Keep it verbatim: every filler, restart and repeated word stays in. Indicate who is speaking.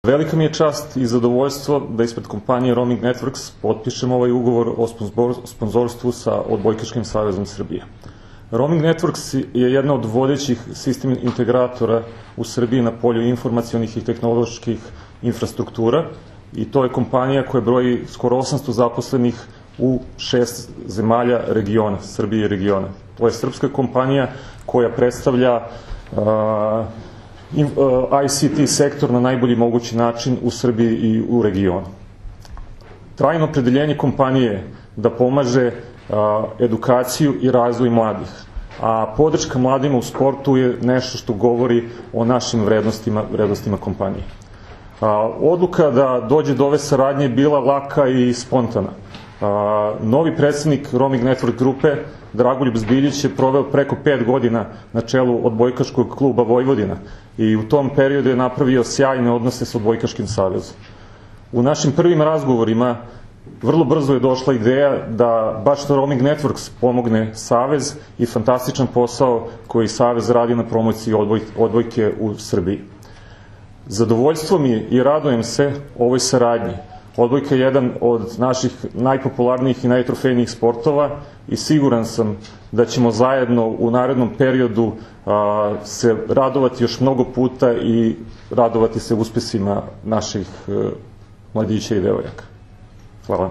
Speaker 1: Velika mi je čast i zadovoljstvo da ispred kompanije Roaming Networks potpišem ovaj ugovor o sponzorstvu sa Odbojkaškim savezom Srbije. Roaming Networks je jedna od vodećih sistem integratora u Srbiji na polju informacionih i tehnoloških infrastruktura i to je kompanija koja broji skoro osamsto zaposlenih u šest zemalja regiona, Srbije i regiona. To je srpska kompanija koja predstavlja I C T sektor na najbolji mogući način u Srbiji i u regionu. Trajno opredeljenje kompanije je da pomaže edukaciju i razvoj mladih, a podrška mladima u sportu je nešto što govori o našim vrednostima, vrednostima kompanije. Odluka da dođe do ove saradnje je bila laka i spontana. Novi predsednik Roaming Network grupe, Dragoljub Zbiljić, je proveo preko pet godina na čelu Odbojkaškog kluba Vojvodina i u tom periodu je napravio sjajne odnose sa Odbojkaškim savezom. U našim prvim razgovorima vrlo brzo je došla ideja da baš Roaming Networks pomogne savez i fantastičan posao koji savez radi na promociji odbojke u Srbiji. Zadovoljstvo mi je i radujem se ovoj saradnji. Odbojka je jedan od naših najpopularnijih i najtrofejnijih sportova i siguran sam da ćemo zajedno u narednom periodu se radovati još mnogo puta i radovati se uspesima naših mladića i devojaka. Hvala.